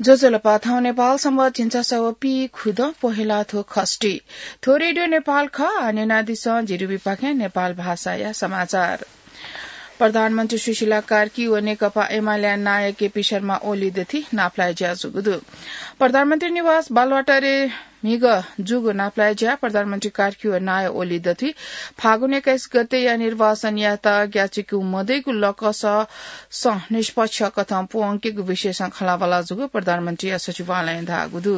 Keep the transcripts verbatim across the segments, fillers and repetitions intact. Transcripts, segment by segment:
ज्वजलपा, थौं नेपाल संवत् झिंछसः व पीखुदँ पहेँला थ्व खष्ठी। थ्व रेडियो नेपाल खः, न्यनादिसँ झी रुबिपाखें नेपाल भाषाया समाचार। प्रधानमन्त्री सुशीला कार्की व नेकपा एमालेया नायः केपी शर्मा ओली दथुइ नापलाये ज्या जूगु दु। प्रधानमन्त्री निवास बालुवाटारे म्हिगः जूगु नापलाये ज्या प्रधानमन्त्री कार्की व नायः ओली दथुइ फागुन एक्काइस गतेया निर्वाचनयात ग्याःचिकु मदइगु लकसं निष्पक्ष कथं प्वंकेगु विषयसं खँल्हाबल्हा जूगु प्रधानमन्त्रीया सचिवालयं धाःगु दु।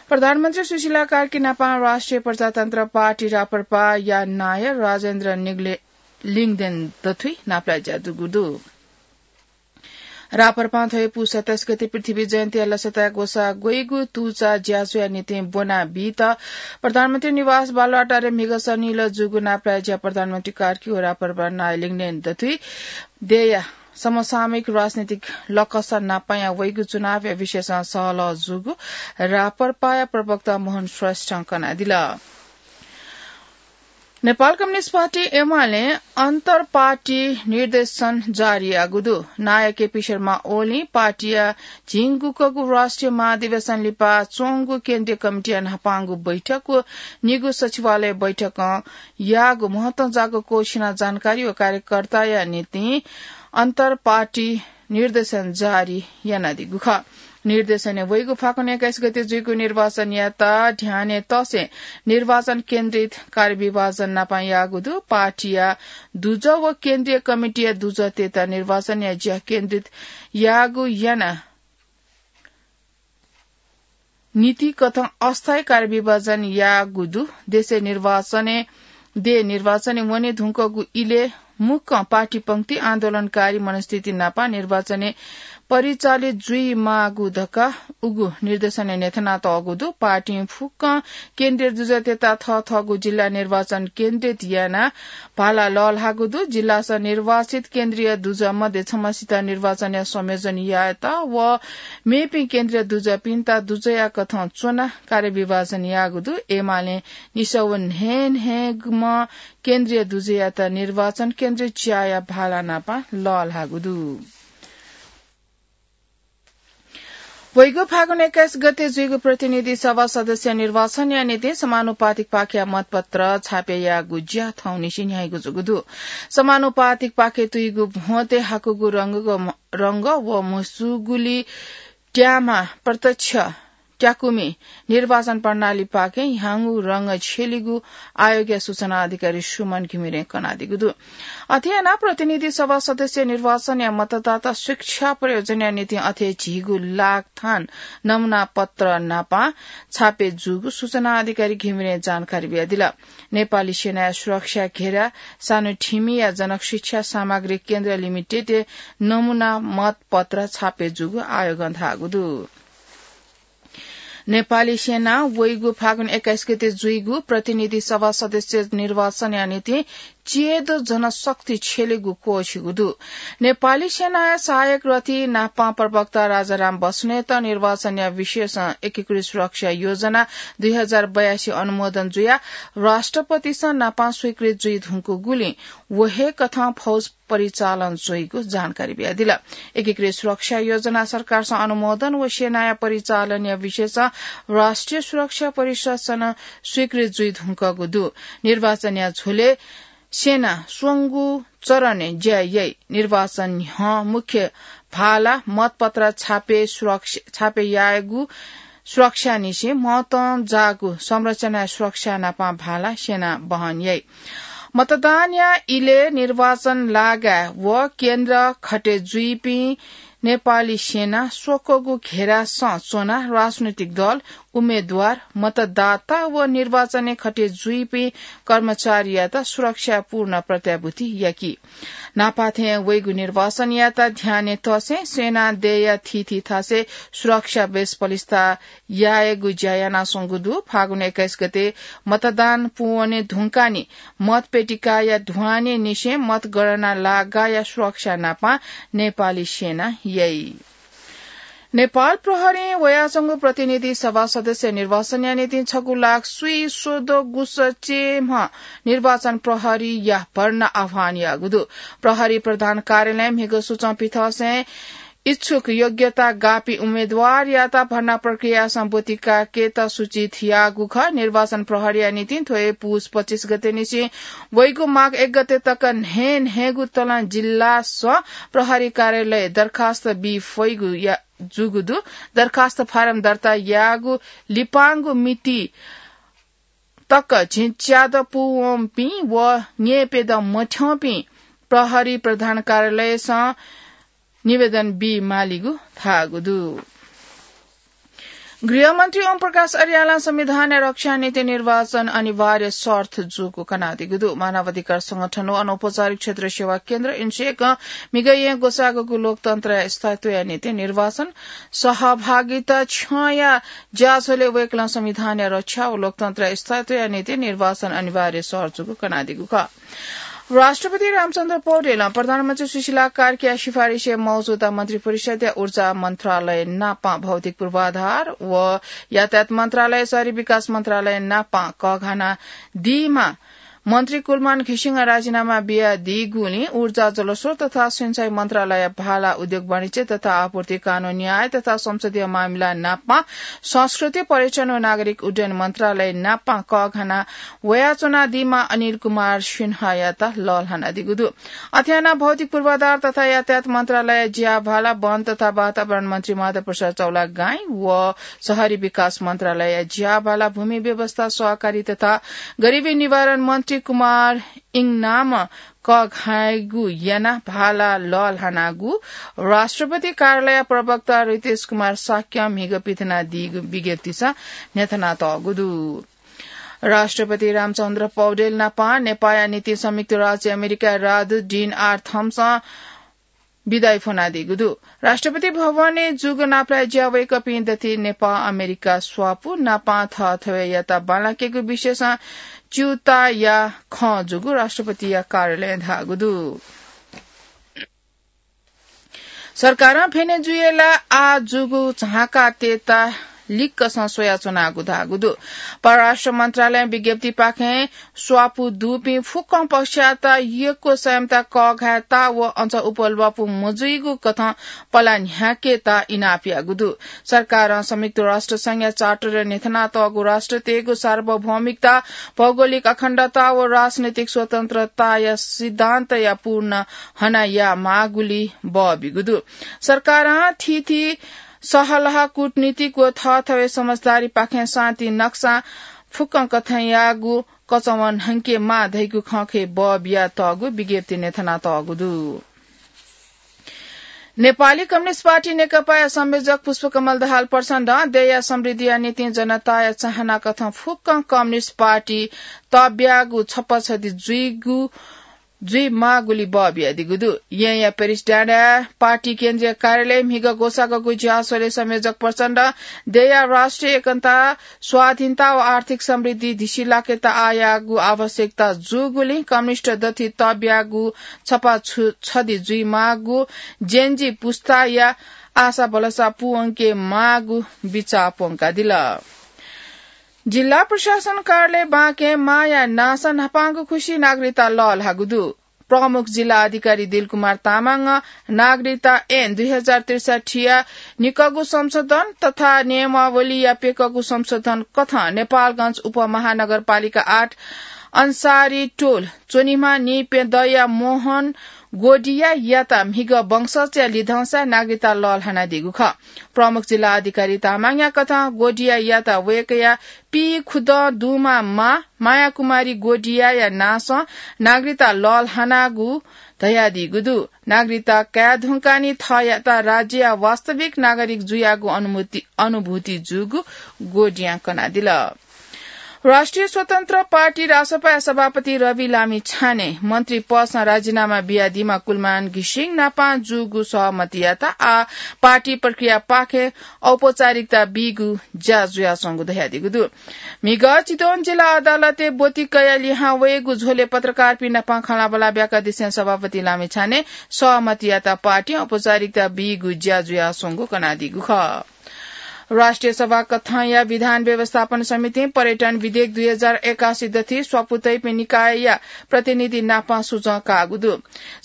प्रधानमन्त्री सुशीला कार्की नापं राष्ट्रिय प्रजातन्त्र पार्टी राप्रपाया नायः राजेन्द्र निग्ले-, लिङदेन दथुइ नापलाये ज्या जूगु दु। राप्रपां थ्व हे पुस सत्ताइस गते पृथ्वी जयन्तीया लसताय् ग्वसाः ग्वइगु तुचा ज्याझ्वःया निंतिं ब्वना बीत प्रधानमन्त्री निवास बालुवाटारे म्हिगः सनिलय् जूगु नापलाये ज्या प्रधानमन्त्री कार्की व राप्रपा नायः लिङदेन दथुइ देय्‌या समसामयिक राजनीतिक लकस नापंया वइगु चुनावया विषयसं सहलह जूगु राप्रपाया प्रवक्ता मोहन श्रेष्ठं कनादिल। नेपाल कम्युनिस्ट पार्टी एमालें अन्तर पार्टी निर्देशन जारी याःगु दु। नायः केपी शर्मा ओलीं पार्टीया झिंगुकःगु राष्ट्रिय महाधिवेशन लिपा च्वंगु केन्द्रीय कमिटीया न्हापांगु बैठक व निगू सचिवालय बैठकं याःगु महत्वं जाःगु क्वःछिना जानकारी व कार्यकर्ताया निंतिं अन्तर पार्टी निर्देशन जारी यानादीगु खः। निर्देशनय् वइगु फागुन एक्काइस गते जुइगु निर्वाचनयात ध्यानय् तसें निर्वाचन केन्द्रित कार्यविभाजन नापं याःगु दु। पार्टीया दुजः व केन्द्रीय कमिटीया दुजःतय्‌त निर्वाचनया ज्या केन्द्रित याःगु याना नीति कथं अस्थायी कार्यविभाजन याःगु दु। देशय् निर्वाचनय्, देय् निर्वाचनय् वने धुंकूगु इलय् मुक्कं पार्टी पंक्ति आन्दोलनकारी मनस्थिति नापं निर्वाचनय् परिचालित जुइमाःगु धकाः उगु निर्देशनय् न्ह्यथनातःगु दु। पार्टीं फुक्कं केन्द्रीय दुजःतय्‌त थःथःगु जिल्ला निर्वाचन केन्द्रित यानाः भाला लःल्हाःगु दु। जिल्लासं निर्वाचित केन्द्रीय दुजः मध्ये छम्हसित निर्वाचनया संयोजन यायेत व मेपिं केन्द्रीय दुजःपिन्त दुजःया कथं च्वनाः कार्यविभाजन याःगु दु। एमालें निसः व न्हय्‌न्हय्‌म्ह केन्द्रीय दुजःयात निर्वाचन केन्द्रित ज्याया भाला नापं लःल्हाःगु दु। वइगु फागुन एक्काइस गते जुइगु प्रतिनिधि सभा सदस्य निर्वाचनया निंतिं समानुपातिक पाखेया मतपत्र छापे यायेगु ज्या थौंनिसें न्ह्याइगु जूगु दु। समानुपातिक पाखे तुइगु भ्वंतय् हाकूगु रंग, रंग व म्हसुगुली त्यामा प्रत्यक्ष त्याकुमि निर्वाचन प्रणालीपाखें ह्याउँगु रंग छ्यलीगु आयोगया सूचना अधिकारी सुमन घिमिरें कनादीगु दु। अथे यानाः प्रतिनिधि सभा सदस्य निर्वाचनया मतदाता शिक्षा प्रयोजनया निंतिं अथे झीगु लाख थान नमुना पत्र नापं छापे जूगु सूचना अधिकारी घिमिरें जानकारी बियादिल। नेपाली सेनाया सुरक्षा घेरा सानोठिमीया जनक शिक्षा सामग्री केन्द्र लिमिटेडय् नमुना मतपत्र छापे जूगु आयोगं धाःगु दु। नेपाली सेनां वइगु फागुन एक्काइस गते जुइगु प्रतिनिधि सभा सदस्य निर्वाचनया निंतिं च्येदँ जनशक्ति छ्यलेगु क्वःछिगु दु। नेपाली सेनाया सहायक रथी नापं प्रवक्ता राजाराम बस्नेत निर्वाचनया विषयसं एकीकृत सुरक्षा योजना दुई हजार बयासी अनुमोदन जुयाः राष्ट्रपतिसं नापं स्वीकृत जुइ धुंकूगुलिं व हे कथं फौज परिचालन जुइगु जानकारी बियादिल। एकीकृत सुरक्षा योजना सरकारसं अनुमोदन व सेनाया परिचालनया विषयसं राष्ट्रिय सुरक्षा परिषदसं नं स्वीकृत जुइ धुंकूगु दु। निर्वाचनया झ्वलय् सेना स्वंगू चरणय् ज्या याइ। निर्वाचन न्ह्यः मुख्य भाला, मतपत्र छापे सुरक्षा, छापे यायेगु सुरक्षानिसें महत्वं जाःगु संरचनाया सुरक्षा नापं भाला सेनां वहन याइ। मतदानया इलय् निर्वाचन लागाय् व केन्द्र खटे जुइपिं नेपाली सेना स्वक्वःगु घेरासं च्वनाः राजनैतिक दल, उम्मेद्वार, मतदाता व निर्वाचनय् खटे जुइपिं कर्मचारीयात सुरक्षापूर्ण प्रत्याभूति याकी। न्हापाथें वइगु निर्वाचनयात ध्यानय् तसें सेनां देय्‌या थीथी थासय् सुरक्षा बेस पलिस्था यायेगु ज्या यानाच्वंगु दु। फागुन एक्काइस गते मतदान पूवने धुंकाः नि मतपेटिकाया ध्वाँनेनिसें मतगणना लागाःया सुरक्षा नापं नेपाली सेनां याइ। नेपाल प्रहरीं वयाच्वंगु प्रतिनिधि सभा सदस्य निर्वाचनया निंतिं छगू लाख स्वइस्वदँ गुसः चयेम्ह निर्वाचन प्रहरीया भर्ना आह्वान याःगु दु। प्रहरी प्रधान कार्यालयं म्हिगः सुचं पिथंसें इच्छुक योग्यता गापी उम्मेदवारयात भर्ना प्रक्रियासं ब्वति कायेकेत सूचित याःगु खः। निर्वाचन प्रहरीया निंतिं थ्व हे पुस पच्चिस गते निसें वइगु माघ एक गते तक न्हय् न्हय्गु तलं जिल्लासं प्रहरी कार्यालय दरखास्त बी फइगु या-, जूगु दु। दरखास्त फारम दर्ता याःगु लिपांगु मिति तक झिंच्यादँ पूवंपिं व न्यय्‌प्यदँ मथ्यंपिं प्रहरी प्रधान कार्यालयसं निवेदन बी मालीगु धाःगु दु। गृहमन्त्री ओम प्रकाश अर्यालं संविधानया रक्षाया निंतिं निर्वाचन अनिवार्य शर्त जूगु कनादीगु दु। मानवाधिकार संगठन व अनौपचारिक क्षेत्र सेवा केन्द्र इन्सेकं म्हिगः येँ ग्वसाःगु लोकतन्त्रया स्थायित्वया निंतिं निर्वाचन सहभागिता क्षयया ज्याझ्वलय् वय्‌कलं संविधानया रक्षा व लोकतन्त्रया स्थायित्वया निंतिं निर्वाचन अनिवार्य शर्त जूगु कनादीगु खः। राष्ट्रपति रामचन्द्र पौडेलं प्रधानमन्त्री सुशीला कार्कीया सिफारिसय् मौजूदा मन्त्री परिषदया ऊर्जा मन्त्रालय नाप भौतिक पूर्वाधार व यातायात मन्त्रालय शहरी विकास मन्त्रालय नाप कःघानादीमा मन्त्री कुलमान घिसिङं राजीनामा बियादीगुलिं ऊर्जा, जलस्रोत तथा सिँचाइ मन्त्रालय भाला उद्योग, वाणिज्य तथा आपूर्ति, कानून, न्याय तथा संसदीय मामिला नाप संस्कृति, पर्यटन व नागरिक उड्डयन मन्त्रालय नाप कःघाना वयाच्वनादीमा अनिल कुमार सिन्हायात लःल्हानादीगु दु। अथे यानाः भौतिक पूर्वाधार तथा यातायात मन्त्रालय ज्या भाला वन तथा वातावरण मन्त्री माधव प्रसाद चौलागाई व शहरी विकास मन्त्रालय ज्या भाला भूमि व्यवस्था सहकारी तथा गरिबी निवारण मन्त्री कुमार इङनाम कःघायेगु यानाः भाला लःल्हानागु राष्ट्रपति कार्यालय प्रवक्ता रितेश कुमार शाक्यं म्हिगः पिथनादीगु विज्ञप्तिसं न्ह्यथनातःगु दु। राष्ट्रपति रामचन्द्र पौडेल नाप नेपाःया निंतिं संयुक्त राज्य अमेरिकाया राजदूत डिन आर थम्सं बिदाइ फ्वनादीगु दु। राष्ट्रपति भवनय् जूगु नापलाये ज्या वय्‌कःपिं दथुइ नेपाः अमेरिका स्वापू नाप थःथवय्‌यात बांलाकेगु विषयसं च्यूताया खँ जूगु राष्ट्रपतिया कार्यालयं धाःगु दु। सरकारं भेनेजुएला आः जूगु झांकातय्‌त लिक्कसं स्वयाच्वनागु धाःगु दु। परराष्ट्र मन्त्रालयं विज्ञप्तिपाखें स्वापू दुपिं फुक्कं पक्षयात यक्व संयमता कःघायेत व अझ उपल्वापु मजुइगु कथं पला न्ह्याकेत इनाप याःगु दु। सरकारं संयुक्त राष्ट्र संघया चार्टर न्ह्यथनातःगु राष्ट्रतय्‌गु सार्वभौमिकता, भौगोलिक अखण्डता व राजनैतिक स्वतन्त्रताया सिद्धान्तया पूर्ण हना यायेमाःगुली बः बीगु दु। सरकारं थीथी सहलह, कूटनीतिक व थःथवय् समझदारीपाखें शान्ति नक्सां फुक्कं कथंयागु कचंवं न्हंकेमाः धइगु खँखय् बः बियातःगु विज्ञप्तिइ न्ह्यथनातःगु दु। नेपाली कम्युनिस्ट पार्टी नेकपाया संयोजक पुष्पकमल दाहाल प्रचण्डं देय्‌या समृद्धिया निंतिं जनताया चाहना कथं फुक्कं कम्युनिस्ट पार्टी तब्यागु छपाछदि जुइगु जुइमाःगुली बः बियादीगु दु। येँया पेरिस डाँडाय् पार्टी केन्द्रीय कार्यालयय् म्हिगः ग्वसाःगु ज्याझ्वलय् संयोजक प्रचण्डं देय्‌या राष्ट्रिय एकता, स्वाधीनता व आर्थिक समृद्धि धिसिलाकेत आःयागु आवश्यकता जूगुलिं कम्युनिस्ट दथुइ तब्यागु छपा छु-, छदि जुइमाःगु जेनजी पुस्ताया आशा भलसा पूवंकेमाःगु बिचाः प्वंकादिल। जिल्ला प्रशासन कार्यालय बाँके मांया नांसं न्हापांगु खुसि नागरिकता लःल्हाःगु दु। प्रमुख जिल्ला अधिकारी दिलकुमार तामाङं नागरिकता ऐन दुई हजार त्रिसठ्ठीया निकःगु संशोधन तथा नियमावलीया प्यकःगु संशोधन कथं नेपालगञ्ज उपमहानगरपालिका आठ अन्सारी टोल च्वनीम्ह निप्यदँया मोहन गोडियायात म्हिगः वंशजया लिधंसाय् नागरिकता लःल्हानादीगु खः। प्रमुख जिल्ला अधिकारी तामाङया कथं गोडियायात वय्‌कःया पीखुदँ दुम्ह मां मायाकुमारी गोडियाया नांसं नागरिकता लःल्हानागु धयादीगु दु। नागरिकता काये धुंकाः नि थःयात राज्यया वास्तविक नागरिक जुयागु अनुमति, अनुभूति जूगु गोडियां कनादिल। राष्ट्रिय स्वतन्त्र पार्टी, रासपाया सभापति रवि लामिछाने मन्त्री पदसं राजीनामा बियादीम्ह कुलमान घिसिङ नाप जूगु सहमतियात आः पार्टी प्रक्रियापाखें औपचारिकता बीगु ज्या जुयाच्वंगु धयादीगु दु। म्हिगः चितवन जिल्ला अदालतय् ब्वति कयाः लिहां वयेगु झ्वलय् पत्रकारपिं नाप खँल्हाबल्हा ब्याकदिसें सभापति लामिछाने सहमतियात पार्टीं औपचारिकता बीगु ज्या जुयाच्वंगु कनादीगु खः। राष्ट्रिय सभा कथंया विधान व्यवस्थापन समितिं पर्यटन विधेयक दुई हजार एकासी दथि स्वापू तइपिं निकायया प्रतिनिधि नापं सुझाव काःगु दु।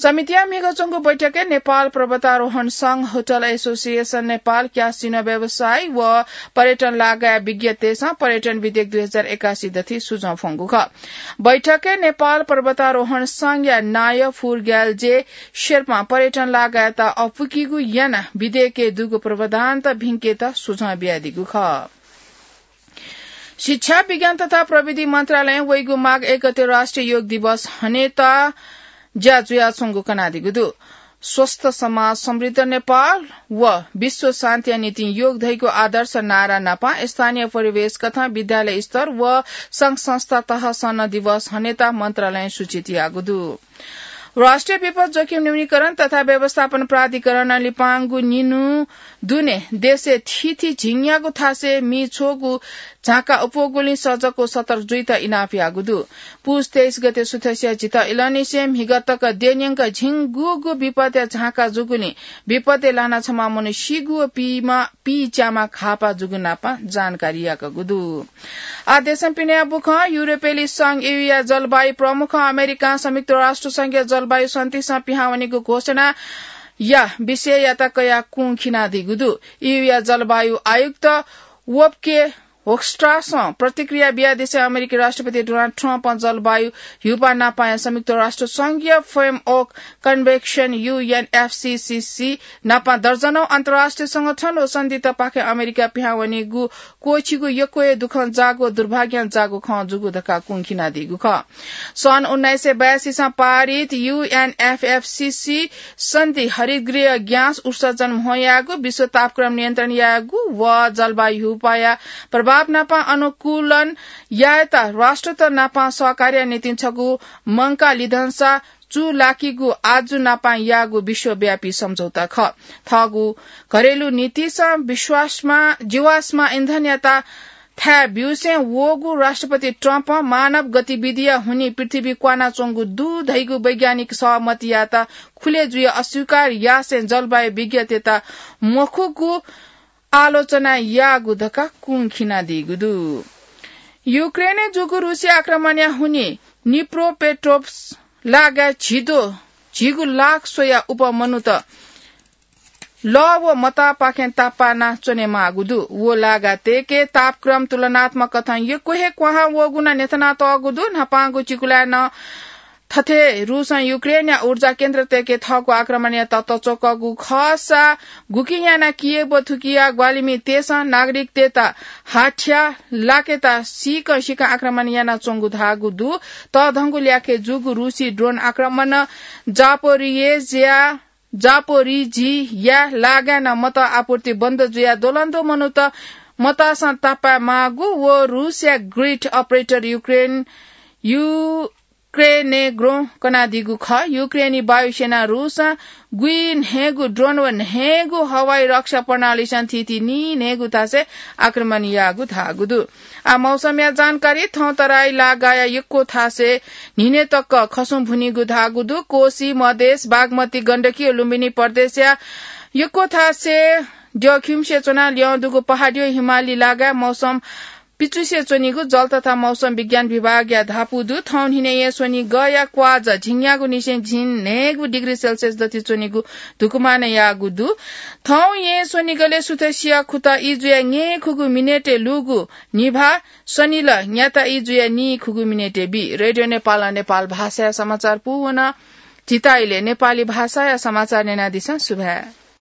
समितिया म्हिगः च्वंगु बैठकय् नेपाल पर्वतारोहण संघ, होटल एसोसिएसन नेपाल, क्यासिनो व्यवसायी व पर्यटन लागाय् विज्ञतय्सं पर्यटन विधेयक दुई हजार एकासी दथि सुझाव फ्वंगु खः। बैठकय् नेपाल पर्वतारोहण संघया नायः फुर्ग्याल जे शेर्पां पर्यटन लागाय्त अपुकीगु यानाः विधेयकय् दुगु प्रावधानत भिंकेत सुझाव बियादीगु खः। शिक्षा, विज्ञान तथा प्रविधि मन्त्रालयं वइगु माघ एक गते राष्ट्रिय योग दिवस हनेत ज्या जुयाच्वंगु कनादीगु दु। स्वस्थ समाज समृद्ध नेपाल व विश्व शान्तिया निंतिं योग धइगु आदर्श नारा नापं स्थानीय परिवेश कथं विद्यालय स्तर व संघ संस्था तहसं नं दिवस हनेत मन्त्रालयं सूचित याःगु दु। राष्ट्रिय विपद जोखिम न्यूनीकरण तथा व्यवस्थापन प्राधिकरणं लिपांगु निन्हु दुने देशय् थीथी झिंन्यागू थासय् मि छ्वःगु झांका अप्वःगुलिं सजग व सतर्क जुइत इनाप याःगु दु। पुस तेइस गते सुथसिया झित इलंनिसें म्हिगः तक देन्यंक झिंगूगू विपदया झांका जूगुलिं विपदय् लानाः छम्ह मनू सीगु व पीमा, पीच्याम्ह घाःपाः जूगु नापं जानकारी याकूगु दु। आ देशं पिने बुखं युरोपेली संघ ईयूया जलवायु प्रमुखं अमेरिकां संयुक्त राष्ट्र संघया जलवायु सन्धिसं पिहां वनीगु घोषणाया विषययात कयाः कुं खिनादीगु दु। ईयूया जलवायु आयुक्त वोप्के होक्स्ट्रासं प्रतिक्रिया बियादिसें अमेरिकी राष्ट्रपति डोनाल्ड ट्रम्पं जलवायु ह्यूपाः नापाया संयुक्त राष्ट्र संघीय फ्रेमवर्क कन्भेन्सन, यूएनएफसीसीसी, नापं दर्जनौं अन्तर्राष्ट्रिय संगठन व सन्धितपाखें अमेरिका पिहां वनीगु क्वःछिगु यक्व हे दुःखं जाःगु व दुर्भाग्यं जाःगु खँ जूगु धकाः कुं खिनादीगु खः। सन् उन्नाइस सय बयासीसं पारित यूएनएफएफसीसी सन्धि हरितगृह ग्यास उत्सर्जन म्हो यायेगु, विश्व तापक्रम नियन्त्रण यायेगु व जलवायु ह्यूपाःया प्रभाव नापं अनुकूलन यायेत राष्ट्रत नापं सहकार्य निंतिं छगू मंकाः लिधंसा चूलाकीगु आजु नापं याःगु विश्वव्यापी सम्झौता खः। थःगु घरेलु नीतिसं विश्वासमा, जीवाश्म इन्धनयात थाय् ब्यूसें वःगु राष्ट्रपति ट्रम्पं मानव गतिविधिया हुनिं पृथ्वी क्वानाच्वंगु दु धइगु वैज्ञानिक सहमतियात खुले जुइ अस्वीकार यासें जलवायु विज्ञतय्त मखुगु आलोचना याःगु धकाः कुं खिनादीगु दु। युक्रेनय् जूगु रुसी आक्रमणया हुनिं निप्रोपेट्रोव्स्क लागाय् झिदो, झिगू लाख स्वया उप मनूत लः व मतापाखें तापाना च्वनेमाःगु दु। व लागा तय्के तापक्रम तुलनात्मक कथं यक्व हे क्वहां वःगु नं न्ह्यथनातःगु दु। न्हापांगु चिकुलाय् नं थथे रुसं युक्रेनया ऊर्जा केन्द्र तय्के थःगु आक्रमणयात तच्वकःगु खःसा गुकिं यानाः कियेव व थुकिया ग्वाहालिमितय्सं नागरिकतय्त हाथ्या लाकेत सीकं सीकं आक्रमण यानाच्वंगु धाःगु दु। तःधंगु ल्याखय् जूगु रुसी ड्रोन आक्रमणं जापोरियेज्या जापोरिझिया लागाय् नं मत आपूर्ति बन्द जुयाः द्वलंद्वः मनूत मतासं तापाय् माःगु व रुसया ग्रिड अपरेटर युक्रेन, युक्रेनेग्रो कनादीगु खः। युक्रेनी वायुसेनां रुसं गुइन्हय्गू ड्रोन व न्हय्गू हवाई रक्षा प्रणालीसं थीथी नीन्हय्गू थासय् आक्रमण याःगु धाःगु दु। आ मौसमया जानकारी। थौं तराई लागाया यक्व थासय् न्हिनय् तक खसुं भुनीगु धाःगु दु। कोसी, मधेस, बागमती, गण्डकी व लुम्बिनी प्रदेशया यक्व थासय् द्यःखिउँसे च्वनाः ल्यं दुगु पहाडीया हिमाली लागाय् मौसम पिचुसे च्वनीगु जल तथा मौसम विज्ञान विभागया धापू दु। थौं न्हिनय् येँ स्वनिगःया क्वाःझ झिंन्यागूनिसें झिंन्हय्गू डिग्री सेल्सियस दथि च्वनीगु धुकुमानं याःगु दु। थौं येँ स्वनिगलय् सुथसिया खुता ई जुया न्येखुगू मिनेटय् लूगु निभाः, सनिल न्याता ई जुया नीखुगू मिनेटय् बी। रेडियो नेपालं नेपाल भाषाया समाचार पूवन। झीत इलय् नेपाली भाषाया समाचार न्यनादिसँ। सुभाय्।